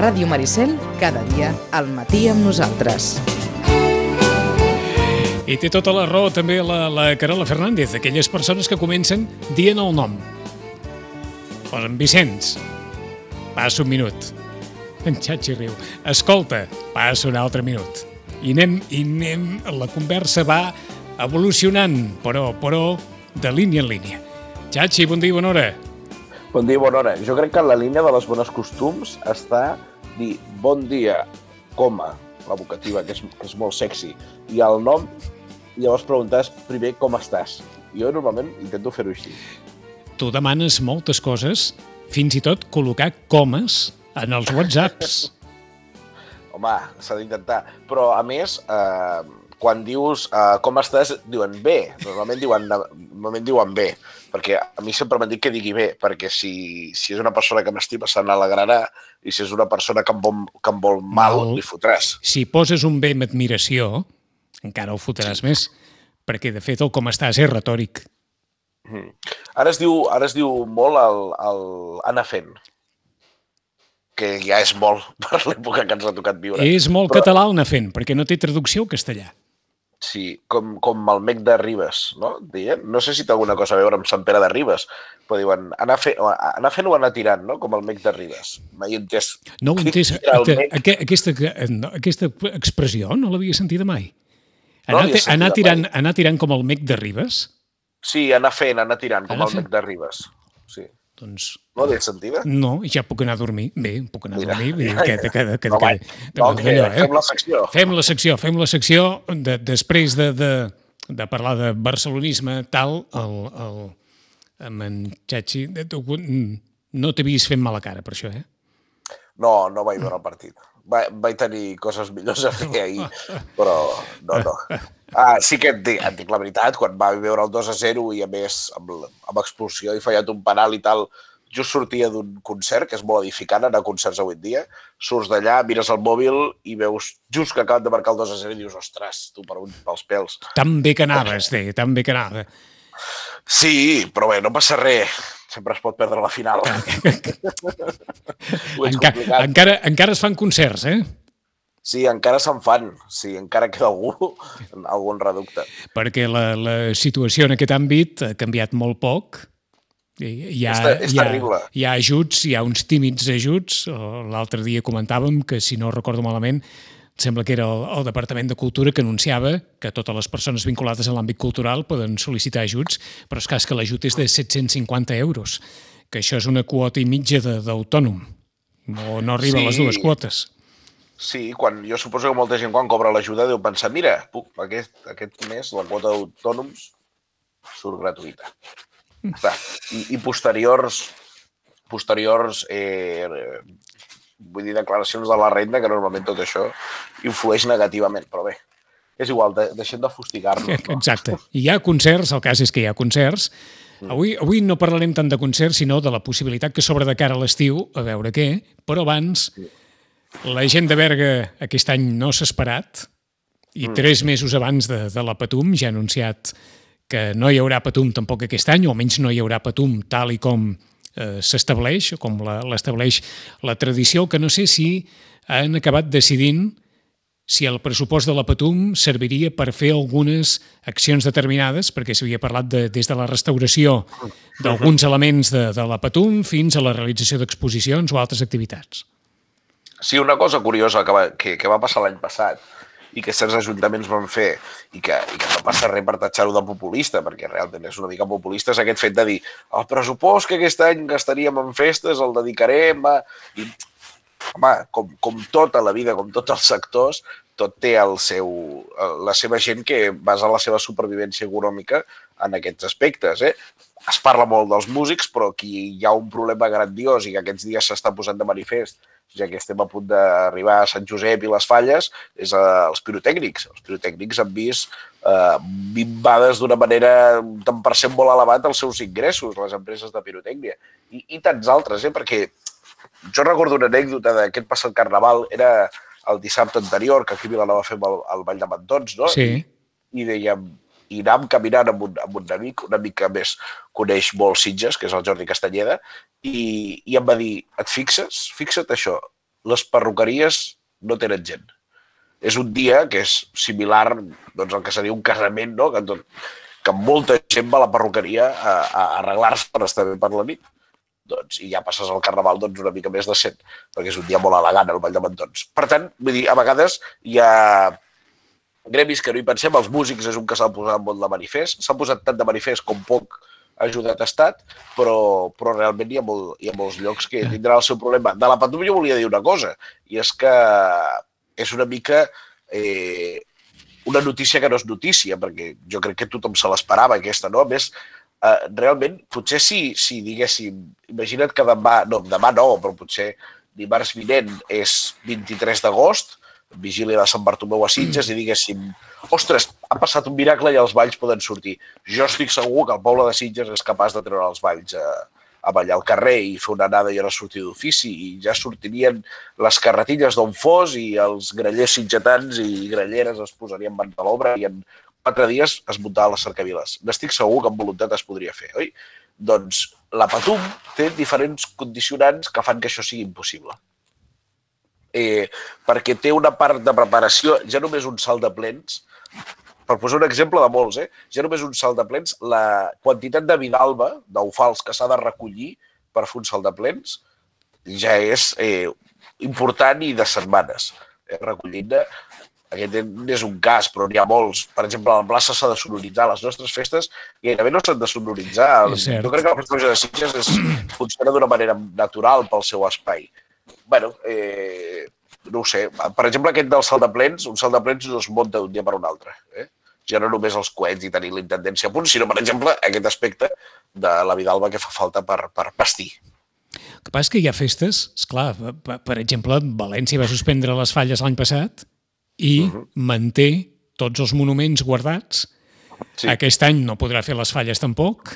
Ràdio Maricel, cada dia al matí amb nosaltres. I té tota la raó també la Carola Fernández, aquelles persones que comencen dient el nom. Posen Vicenç, passa un minut. En Xachi riu. Escolta, passa un altre minut. I anem, la conversa va evolucionant, però de línia en línia. Xachi, bon dia i bona hora. Bon dia i bona hora. Jo crec que la línia de les bones costums està dir bon dia, coma, la vocativa, que és molt sexy, i el nom, i llavors preguntes primer com estàs. Jo normalment intento fer-ho així. Tu demanes moltes coses, fins i tot col·locar comes en els WhatsApps. Home, s'ha d'intentar. Però, a més, quan dius com estàs, diuen bé. Normalment diuen bé. Perquè a mi sempre m'han dit que digui bé, perquè si és una persona que m'estima se n'alegrarà, i si és una persona que em vol mal, li fotràs. Si poses un bé amb admiració, encara el fotràs més, perquè, de fet, el com estàs és retòric. Ara es diu molt el anar fent, que ja és molt per l'època que ens ha tocat viure. És molt català el anar fent, perquè no té traducció al castellà. Sí, com el Mec de Ribes, no? Deien? No sé si té alguna cosa a veure amb Sant Pere de Ribes, però diuen anar fent o anar tirant, no? Com el Mec de Ribes. Mai he entès. No ho he entès. Aquesta expressió no l'havia sentida mai. Anar tirant com el Mec de Ribes? Sí, anar tirant com el Mec de Ribes. Sí. Doncs... No l'he sentida? No, ja puc anar a dormir. Bé, puc anar a dormir. Fem la secció. Després de parlar de barcelonisme, tal, amb en Xachi, no t'he vist fent mala cara per això, eh? No vaig veure el partit. Vaig tenir coses millors a fer ahir, però no. Sí que et dic la veritat, quan va veure el 2-0 i a més amb expulsió i fallat un penal i tal, just sortia d'un concert, que és molt edificant anar a concerts avui en dia, surts d'allà, mires el mòbil i veus just que acaben de marcar el 2-0 i dius, ostres, tu pels pèls. Tan bé que anaves, tan bé que anava. Sí, però bé, no passa res. Sempre es pot perdre la final. Encara es fan concerts, eh? Sí, encara se'n fan. Sí, encara queda algun reducte. Perquè la situació en aquest àmbit ha canviat molt poc. És terrible. Hi ha ajuts, hi ha uns tímids ajuts. L'altre dia comentàvem que, si no recordo malament, sembla que era el Departament de Cultura que anunciava que totes les persones vinculades a l'àmbit cultural poden sol·licitar ajuts, però és cas que l'ajut és de 750 euros, que això és una quota i mitja d'autònom. No arriba a les dues quotes. Sí, jo suposo que molta gent quan cobra l'ajuda deu pensar, mira, aquest mes la quota d'autònoms surt gratuïta. I posteriors vull dir, declaracions de la renda, que normalment tot això influeix negativament, però bé, és igual, deixem de fustigar-nos. Exacte. Hi ha concerts, el cas és que hi ha concerts. Avui no parlarem tant de concerts, sinó de la possibilitat que s'obre de cara a l'estiu, a veure què, però abans la gent de Berga aquest any no s'ha esperat i 3 mesos abans de la Patum ja ha anunciat que no hi haurà Patum tampoc aquest any, o almenys no hi haurà Patum tal i com s'estableix, com l'estableix la tradició, que no sé si han acabat decidint si el pressupost de la Patum serviria per fer algunes accions determinades, perquè s'havia parlat des de la restauració d'alguns elements de la Patum fins a la realització d'exposicions o altres activitats. Sí, una cosa curiosa que va passar l'any passat i que certs ajuntaments van fer i que no passa res per tatxar-ho de populista, perquè realment és una mica populista, és aquest fet de dir el pressupost que aquest any gastaríem en festes el dedicarem a... I, home, com tota la vida, com tots els sectors, tot té la seva gent que basa la seva supervivència econòmica en aquests aspectes. Es parla molt dels músics, però aquí hi ha un problema grandiós i que aquests dies s'està posant de manifest, ja que estem a punt d'arribar a Sant Josep i les Falles, és els pirotècnics. Els pirotècnics han vist minvades d'una manera un tant per cent molt elevat els seus ingressos, les empreses de pirotècnia. I tants altres, perquè jo recordo una anècdota d'aquest passat carnaval, era el dissabte anterior, que aquí a Vilanova fem el Ball de Mantons, no? Sí. I dèiem, i anàvem caminant amb un amic que a més coneix molt Sitges, que és el Jordi Castanyeda, i em va dir, et fixes? Fixa't això, les perruqueries no tenen gent. És un dia que és similar doncs, al que seria un casament, no? Que molta gent va a la perruqueria a arreglar-se per estar bé per la nit. Doncs, i ja passes al Carnaval doncs, una mica més decent, perquè és un dia molt elegant, el Ball de Mantons. Per tant, vull dir, a vegades hi ha gremis que no hi pensem, els músics és un que s'ha posat molt de manifest, s'ha posat tant de manifest com poc ha ajudat a estat, però realment hi ha molts llocs que tindran el seu problema. De la Patum jo volia dir una cosa, i és que és una mica una notícia que no és notícia, perquè jo crec que tothom se l'esperava, aquesta, no? A més, realment, potser si diguéssim, imagina't que demà no, però potser dimarts vinent és 23 d'agost, vigília de Sant Bartomeu a Sitges, i diguéssim, ostres, ha passat un miracle i els balls poden sortir. Jo estic segur que el poble de Sitges és capaç de treure els balls a ballar al carrer i fer una anada i una sortida d'ofici, i ja sortirien les carretilles d'on fos i els grellers sitgetans i grelleres es posarien mans a l'obra i en 4 dies es muntava les cercaviles. N'estic segur que amb voluntat es podria fer, oi? Doncs la Patum té diferents condicionants que fan que això sigui impossible. Perquè té una part de preparació, ja només un salt de plens, per posar un exemple de molts, ja només un salt de plens, la quantitat de vidalba, d'ofals que s'ha de recollir per fer un salt de plens, ja és important i de setmanes. Recollint-ne, aquest és un cas, però n'hi ha molts. Per exemple, a la plaça s'ha de sonoritzar. Les nostres festes gairebé no s'han de sonoritzar. Jo crec que la festa de Sitges funciona d'una manera natural pel seu espai. Bueno, no ho sé. Per exemple, aquest del salt de plens, un salt de plens no es munta d'un dia per un altre. Ja no només els coets i tenir la intendència a punt, sinó, per exemple, aquest aspecte de la vidalba que fa falta per vestir. El que passa és que hi ha festes, esclar, per exemple, València va suspendre les falles l'any passat i manté tots els monuments guardats. Sí. Aquest any no podrà fer les falles tampoc.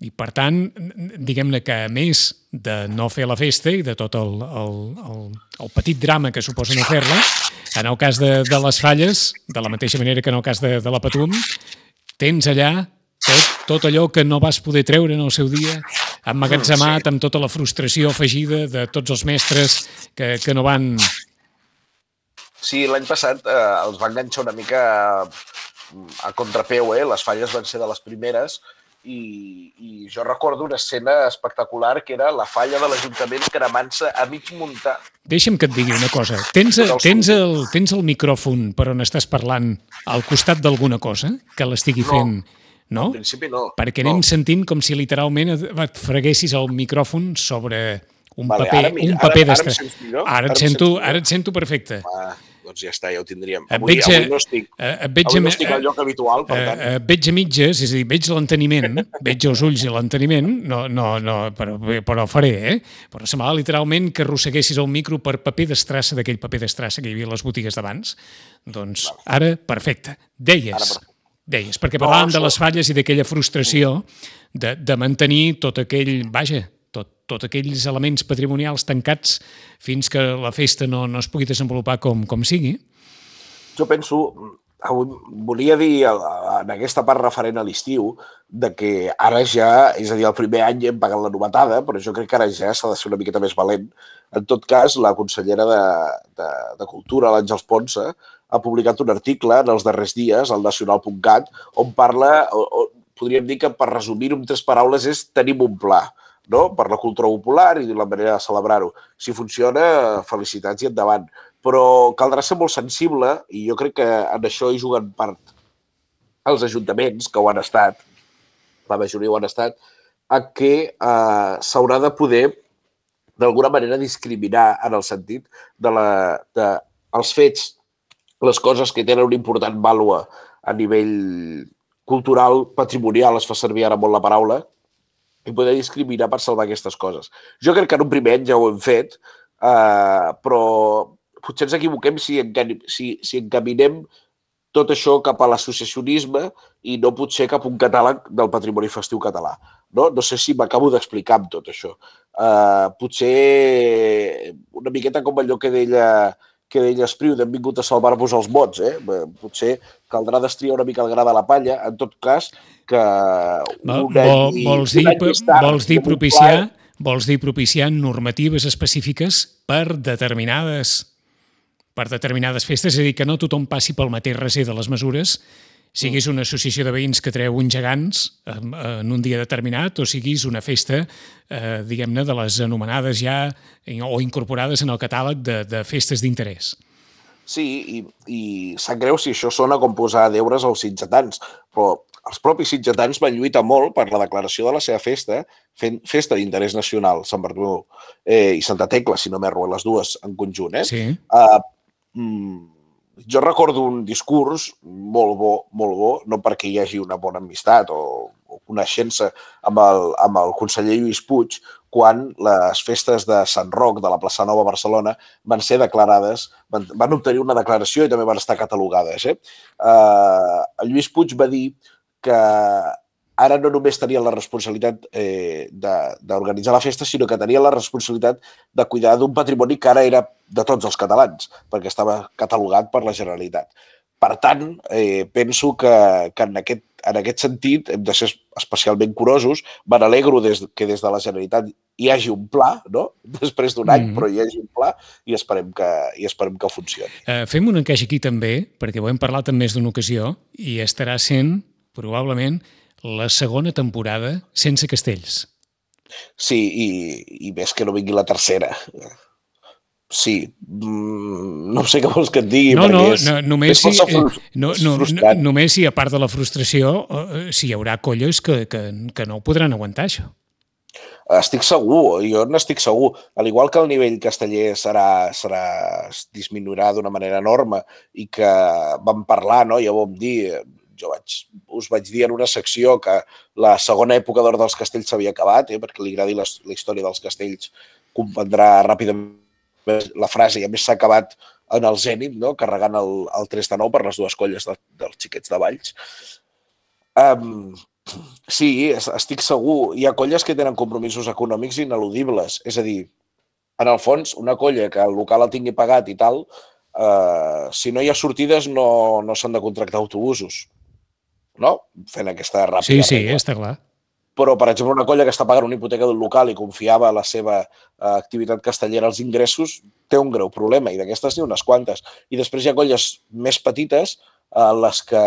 I, per tant, diguem-ne que a més de no fer la festa i de tot el petit drama que suposa no fer-la, en el cas de les falles, de la mateixa manera que en el cas de la Patum, tens allà tot allò que no vas poder treure en el seu dia, emmagatzemat amb tota la frustració afegida de tots els mestres que no van... Sí, l'any passat els va enganxar una mica a contrapeu, les falles van ser de les primeres, i jo recordo una escena espectacular que era la falla de l'Ajuntament cremant-se a mig muntar. Deixa'm que et digui una cosa. Tens el micròfon per on estàs parlant al costat d'alguna cosa que l'estigui fent? No? En principi no. Perquè anem sentint com si literalment et freguessis el micròfon sobre un paper d'estar. Ara et sento perfecte. Doncs ja està, ja ho tindríem. Avui no estic al lloc habitual, per tant. Veig a mitges, és a dir, veig l'enteniment, veig els ulls i l'enteniment, però faré, Però semblava literalment que arrosseguessis el micro per paper d'estrassa, d'aquell paper d'estrassa que hi havia a les botigues d'abans. Doncs ara, perfecte. Deies, perquè parlàvem de les falles i d'aquella frustració de mantenir tot aquell, tots aquells elements patrimonials tancats fins que la festa no es pugui desenvolupar com sigui. Jo penso, volia dir en aquesta part referent a l'estiu, que ara ja, és a dir, el primer any hem pagat la novetada, però jo crec que ara ja s'ha de ser una miqueta més valent. En tot cas, la consellera de Cultura, l'Àngels Ponsa, ha publicat un article en els darrers dies, al nacional.cat, on parla, podríem dir que per resumir-ho en 3 paraules, és tenim un pla, no? Per la cultura popular i la manera de celebrar-ho. Si funciona, felicitats i endavant. Però caldrà ser molt sensible, i jo crec que en això hi juguen part els ajuntaments, que ho han estat, la majoria ho han estat, a que s'haurà de poder, d'alguna manera, discriminar en el sentit dels fets, les coses que tenen una important vàlua a nivell cultural, patrimonial, es fa servir ara molt la paraula, i poder discriminar per salvar aquestes coses. Jo crec que en un primer any ja ho hem fet, però potser ens equivoquem si encaminem tot això cap a l'associacionisme i no potser cap a un catàleg del patrimoni festiu català. No sé si m'acabo d'explicar amb tot això. Potser una miqueta com allò que deia Espriu, hem vingut a salvar-vos els mots. Potser caldrà destriar una mica el gra de la palla. En tot cas, que vols dir Vols dir propiciant normatives específiques per determinades festes, és a dir, que no tothom passi pel mateix recer de les mesures, siguis una associació de veïns que treu uns gegants en un dia determinat o siguis una festa, diguem-ne, de les anomenades ja o incorporades en el catàleg de festes d'interès. Sí, i sap greu si això sona com posar deures als sitgetans, però els propis sitgetans van lluitar molt per la declaració de la seva festa, fent festa d'interès nacional, Sant Bartomeu i Santa Tecla, si no m'erro, les dues en conjunt. Sí. Jo recordo un discurs molt bo, no perquè hi hagi una bona amistat o coneixença amb el conseller Lluís Puig, quan les festes de Sant Roc de la Plaça Nova a Barcelona van ser declarades, van obtenir una declaració i també van estar catalogades. El Lluís Puig va dir que ara no només tenien la responsabilitat d'organitzar la festa, sinó que tenien la responsabilitat de cuidar d'un patrimoni que ara era de tots els catalans, perquè estava catalogat per la Generalitat. Per tant, penso que en aquest sentit hem de ser especialment curosos. Me n'alegro que des de la Generalitat hi hagi un pla, no? Després d'un any, però hi hagi un pla i esperem que funcioni. Fem un encaix aquí també, perquè ho hem parlat en més d'una ocasió, i estarà sent, probablement, la segona temporada sense castells. Sí, i més que no vingui la tercera. Sí, no sé què vols que et digui, només si, a part de la frustració, si hi haurà colles que no ho podran aguantar, això. Estic segur, jo n'estic segur. Al igual que el nivell casteller disminuirà d'una manera enorme i que vam parlar, no? Ja ho vam dir, us vaig dir en una secció que la segona època d'or dels castells s'havia acabat, perquè li agradi la història dels castells, comprendrà ràpidament la frase, i a més s'ha acabat en el Zènit, no? Carregant el 3-9 per les dues colles dels xiquets de Valls. Sí, estic segur. Hi ha colles que tenen compromisos econòmics ineludibles. És a dir, en el fons, una colla que el local el tingui pagat i tal, si no hi ha sortides no s'han de contractar autobusos. No? Fent aquesta ràpida regla. Sí, està clar. Però, per exemple, una colla que està pagant una hipoteca d'un local i confiava la seva activitat castellera als ingressos, té un greu problema, i d'aquestes n'hi ha unes quantes. I després hi ha colles més petites, les que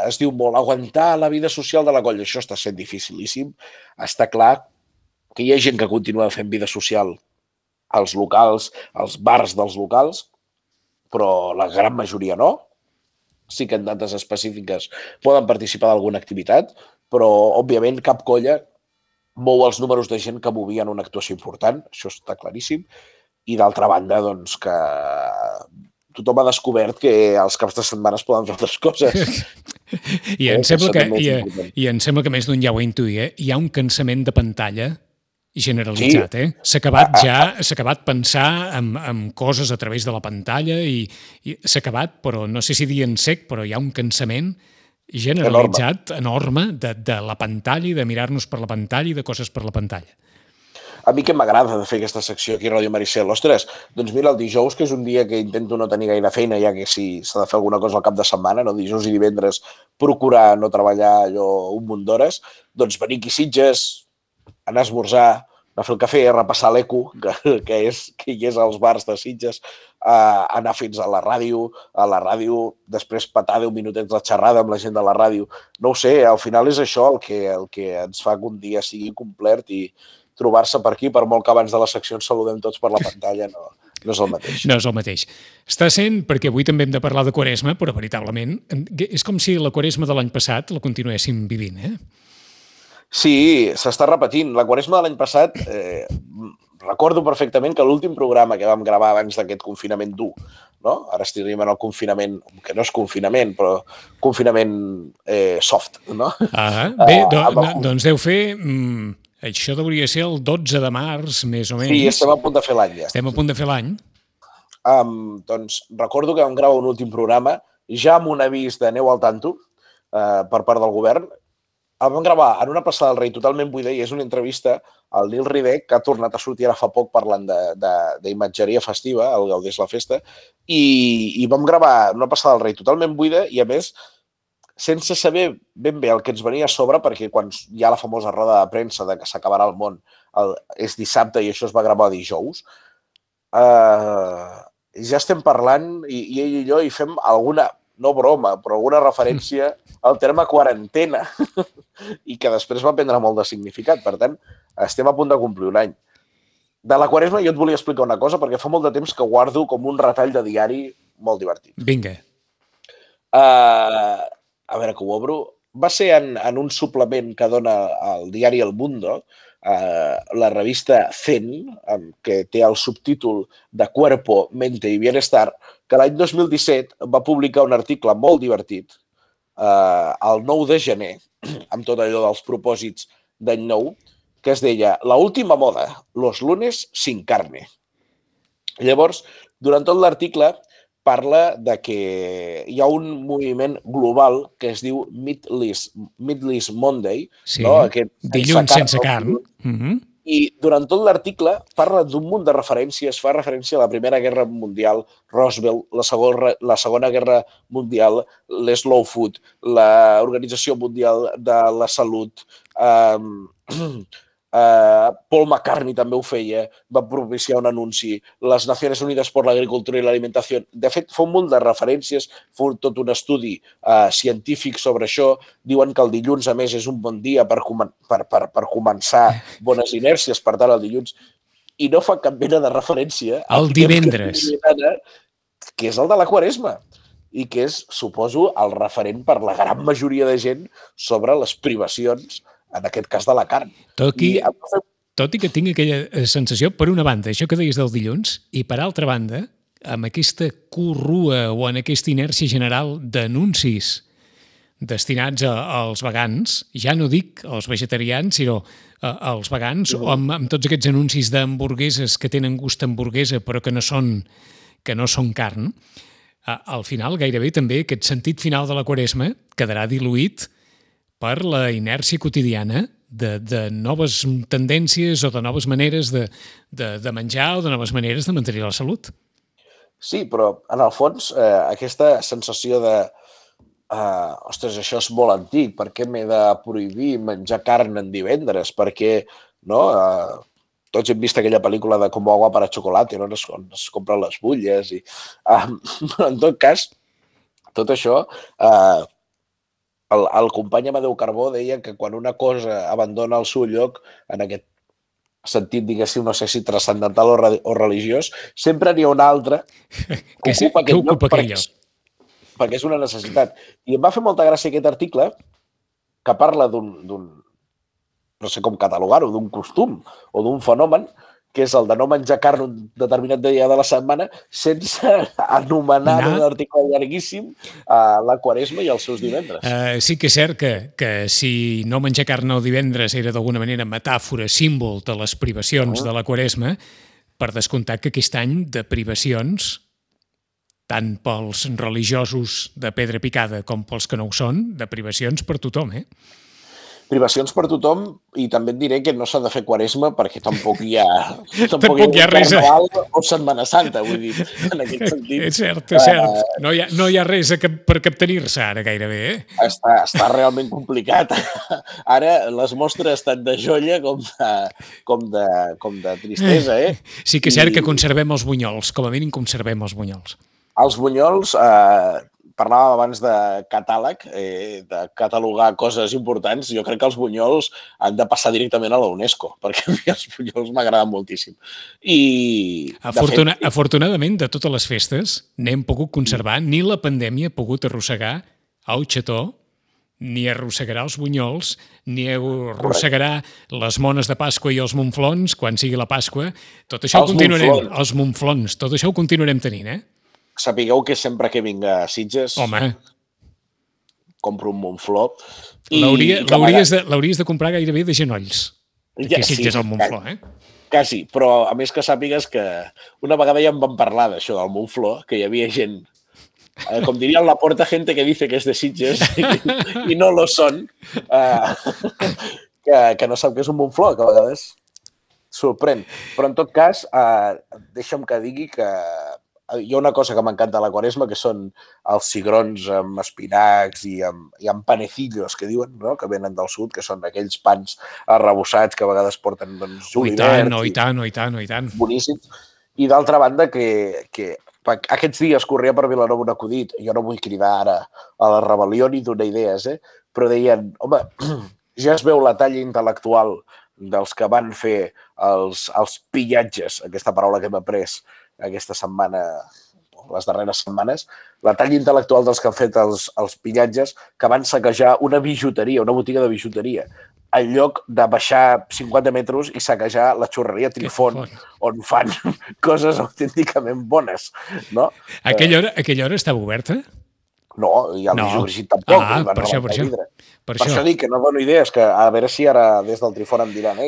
es diu molt aguantar la vida social de la colla. Això està sent dificilíssim. Està clar que hi ha gent que continua fent vida social als locals, als bars dels locals, però la gran majoria no. Sí que en dates específiques poden participar d'alguna activitat, però, òbviament, cap colla mou els números de gent que movien una actuació important, això està claríssim, i d'altra banda, doncs, que tothom ha descobert que els caps de setmana es poden fer altres coses. I em sembla que més d'un ja ho intuïa, hi ha un cansament de pantalla generalitzat, S'ha acabat pensar en coses a través de la pantalla i s'ha acabat, però no sé si dir en sec, però hi ha un cansament generalitzat, enorme, de la pantalla i de mirar-nos per la pantalla i de coses per la pantalla. A mi que m'agrada de fer aquesta secció aquí a Ràdio Maricel. Ostres, doncs mira, el dijous, que és un dia que intento no tenir gaire feina, ja que si s'ha de fer alguna cosa al cap de setmana, no? Dijous i divendres, procurar no treballar allò un munt d'hores, doncs venir aquí a Sitges, anar a esmorzar, anar a fer el cafè, repassar l'eco, que hi és als bars de Sitges, anar fins a la ràdio, després petar 10 minutets de xerrada amb la gent de la ràdio. No ho sé, al final és això el que ens fa que un dia sigui complet, i trobar-se per aquí, per molt que abans de la secció ens saludem tots per la pantalla, no és el mateix. No és el mateix. Està sent, perquè avui també hem de parlar de Quaresma, però veritablement és com si la Quaresma de l'any passat la continuéssim vivint, Sí, s'està repetint. La Quaresma de l'any passat, recordo perfectament que l'últim programa que vam gravar abans d'aquest confinament dur, no? Ara estiríem en el confinament, que no és confinament, però confinament soft, no? Bé, doncs deu fer... Això hauria de ser el 12 de març, més o menys. Sí, estem a punt de fer l'any, ja. Estem a punt de fer l'any. Doncs recordo que vam gravar un últim programa, ja amb un avís de neu al tanto per part del govern. El vam gravar en una plaça del Rei totalment buida, i és una entrevista al Nil Ridec, que ha tornat a sortir ara fa poc parlant d'imatgeria festiva, al Gaudés la Festa, i vam gravar en una plaça del Rei totalment buida, i a més sense saber ben bé el que ens venia a sobre, perquè quan hi ha la famosa roda de premsa de que s'acabarà el món és dissabte i això es va gravar dijous, ja estem parlant, i ell i jo hi fem alguna, no broma, però alguna referència al terme quarantena i que després va prendre molt de significat. Per tant, estem a punt de complir un any. De la Quaresma jo et volia explicar una cosa, perquè fa molt de temps que guardo com un retall de diari molt divertit. Vinga. A veure que ho obro. Va ser en un suplement que dona el diari El Mundo, la revista Zen, que té el subtítol de Cuerpo, Mente y Bienestar, que l'any 2017 va publicar un article molt divertit, el 9 de gener, amb tot allò dels propòsits d'any nou, que es deia La última moda, los lunes sin carne. Llavors, durant tot l'article parla de que hi ha un moviment global que es diu Meatless Monday, Sí, no? Aquest dilluns sense carn. I durant tot l'article parla d'un munt de referències, fa referència a la Primera Guerra Mundial, Roosevelt, la Segona Guerra Mundial, l'Slow Food, l'Organització Mundial de la Salut, Paul McCartney també ho feia, va propiciar un anunci, les Nacions Unides per l'Agricultura i l'Alimentació. De fet, fa un munt de referències, fa tot un estudi científic sobre això. Diuen que el dilluns, a més, és un bon dia per començar bones inèrcies, per tant, el dilluns. I no fa cap mena de referència al divendres, que és el de la Quaresma i que és, suposo, el referent per la gran majoria de gent sobre les privacions, en aquest cas de la carn. Tot i que tinc aquella sensació, per una banda, això que deies del dilluns, i per altra banda, amb aquesta corrua o en aquesta inèrcia general d'anuncis destinats als vegans, ja no dic als vegetarians, sinó als vegans, o amb tots aquests anuncis d'hamburgueses que tenen gust hamburguesa però que no són carn, al final gairebé també aquest sentit final de la Quaresma quedarà diluït per la inèrcia quotidiana de noves tendències o de noves maneres de menjar o de noves maneres de mantenir la salut. Sí, però en el fons aquesta sensació de ostres, això és molt antic, per què m'he de prohibir menjar carn en divendres? Perquè tots hem vist aquella pel·lícula de Como agua para chocolate, on es compren les butlles. Però en tot cas, tot això... El company Amadeu Carbó deia que quan una cosa abandona el seu lloc, en aquest sentit, diguéssim, no sé si transcendental o religiós, sempre n'hi ha una altra que ocupa aquell lloc perquè és una necessitat. I em va fer molta gràcia aquest article que parla d'un, no sé com catalogar-ho, d'un costum o d'un fenomen, que és el de no menjar carn un determinat dia de la setmana sense anomenar en un article llarguíssim la Quaresma i els seus divendres. Sí que és cert que si no menjar carn el divendres era d'alguna manera metàfora, símbol de les privacions de la Quaresma, per descomptat que aquest any de privacions, tant pels religiosos de pedra picada com pels que no ho són, de privacions per tothom, Privacions per tothom, i també et diré que no s'ha de fer Quaresma perquè tampoc hi ha res Carnaval o Setmana Santa, vull dir, en aquest sentit. És cert. No hi ha res per captenir-se ara gairebé, Està realment complicat. Ara les mostres estan de joia com de tristesa, Sí que és cert que conservem els bunyols, com a mínim conservem els bunyols. Els bunyols... Parlàvem abans de catàleg, de catalogar coses importants. Jo crec que els bunyols han de passar directament a la UNESCO, perquè a mi els bunyols m'agraden moltíssim. Afortunadament, de totes les festes, n'hem pogut conservar, ni la pandèmia ha pogut arrossegar el xató, ni arrossegarà els bunyols, ni arrossegarà les mones de Pasqua i els monflons, quan sigui la Pasqua. Tot això ho continuarem. Els monflons, tot això ho continuarem tenint, Sapigueu que sempre que vinc a Sitges compro un monfló. L'hauries de comprar gairebé de genolls, que Sitges el monfló, Quasi, però a més que sàpigues que una vegada ja em van parlar d'això del monfló, que hi havia gent, com diria la porta, gente que dice que és de Sitges i no lo són, que no sap què és un monfló, que a vegades sorprèn. Però en tot cas, deixa'm que digui que hi ha una cosa que m'encanta a la Quaresma, que són els cigrons amb espinacs i amb panecillos, que diuen, no? Que venen del sud, que són aquells pans arrebossats que a vegades porten doncs, julivert. I tant. Boníssims. I d'altra banda, que aquests dies corria per Vilanova un acudit, jo no vull cridar ara a la rebel·lió ni donar idees, però deien, home, ja es veu la talla intel·lectual dels que van fer els pillatges, aquesta paraula que hem après aquesta setmana, les darreres setmanes, la talla intel·lectual dels que han fet els pillatges que van saquejar una bijuteria, una botiga de bijuteria, en lloc de baixar 50 metres i saquejar la xurreria Trifon, on fan coses autènticament bones, no? Aquella hora estava oberta? No, i el Brigit tampoc. Per això. Per això dic que no dono idees, que a veure si ara des del Trifon em diran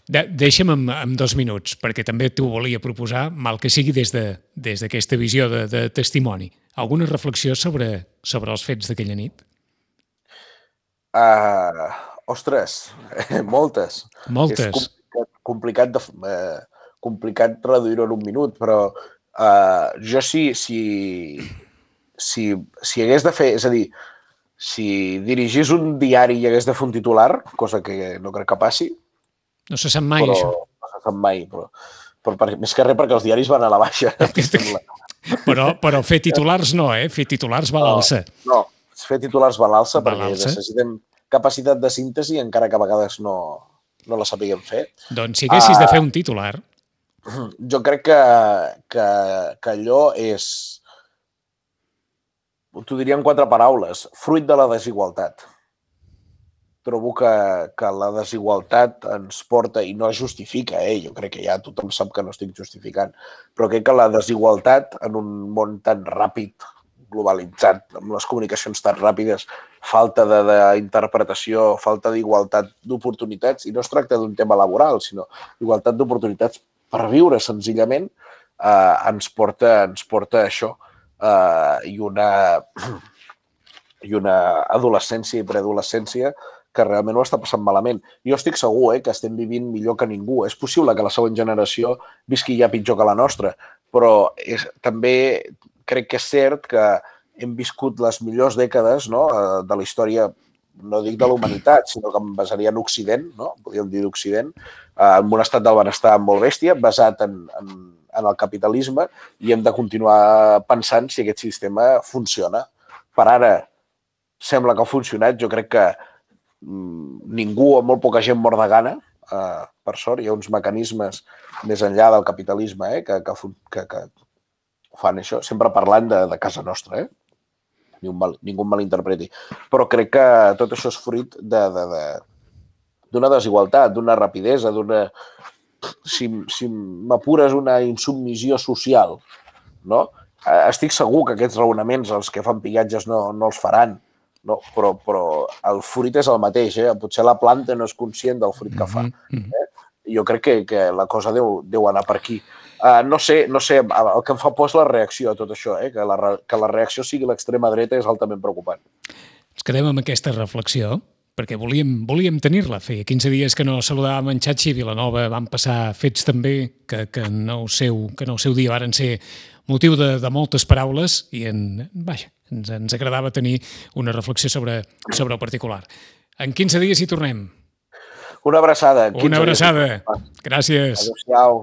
deixa'm en 2 minuts, perquè també t'ho volia proposar, mal que sigui des d'aquesta visió de testimoni. Alguna reflexió sobre els fets d'aquella nit? Ostres, moltes. Moltes. És complicat reduir-ho en un minut, però jo si hagués de fer, és a dir, si dirigís un diari i hagués de fer un titular, cosa que no crec que passi, no se sap mai, això. No se sap mai, però més que res perquè els diaris van a la baixa. Però fer titulars no, Fer titulars va a l'alça. No, fer titulars va a l'alça perquè necessitem capacitat de síntesi encara que a vegades no la sapiguem fer. Doncs si haguessis de fer un titular... Jo crec que allò és... T'ho diria en 4 paraules. Fruit de la desigualtat. Trobo que la desigualtat ens porta, i no es justifica, jo crec que ja tothom sap que no estic justificant, però crec que la desigualtat en un món tan ràpid, globalitzat, amb les comunicacions tan ràpides, falta d'interpretació, falta d'igualtat d'oportunitats, i no es tracta d'un tema laboral, sinó igualtat d'oportunitats per viure senzillament, ens porta a això, i una adolescència i preadolescència que realment ho està passant malament. Jo estic segur que estem vivint millor que ningú. És possible que la següent generació visqui ja pitjor que la nostra, però també crec que és cert que hem viscut les millors dècades de la història, no dic de la humanitat, sinó que em basaria en Occident, podríem dir d'Occident, en un estat del benestar molt bèstia, basat en el capitalisme, i hem de continuar pensant si aquest sistema funciona. Per ara sembla que ha funcionat. Jo crec que ningú o molt poca gent mor de gana, per sort. Hi ha uns mecanismes més enllà del capitalisme que fan això, sempre parlant de casa nostra, ningú em malinterpreti. Però crec que tot això és fruit d'una desigualtat, d'una rapidesa, si m'apures, una insubmissió social, no? Estic segur que aquests raonaments els que fan pillatges no els faran, no? Però el fruit és el mateix, Potser la planta no és conscient del fruit que fa. Jo crec que la cosa deu anar per aquí. No sé, el que em fa por és la reacció a tot això, que la reacció sigui l'extrema dreta és altament preocupant. Ens quedem amb aquesta reflexió, perquè volíem tenir-la. Feia 15 dies que no saludàvem en Xachi Vilanova, van passar fets també que en el seu dia varen ser motiu de moltes paraules i ens agradava tenir una reflexió sobre el particular. En 15 dies hi tornem. Una abraçada. Una abraçada. Gràcies. Adéu-siau.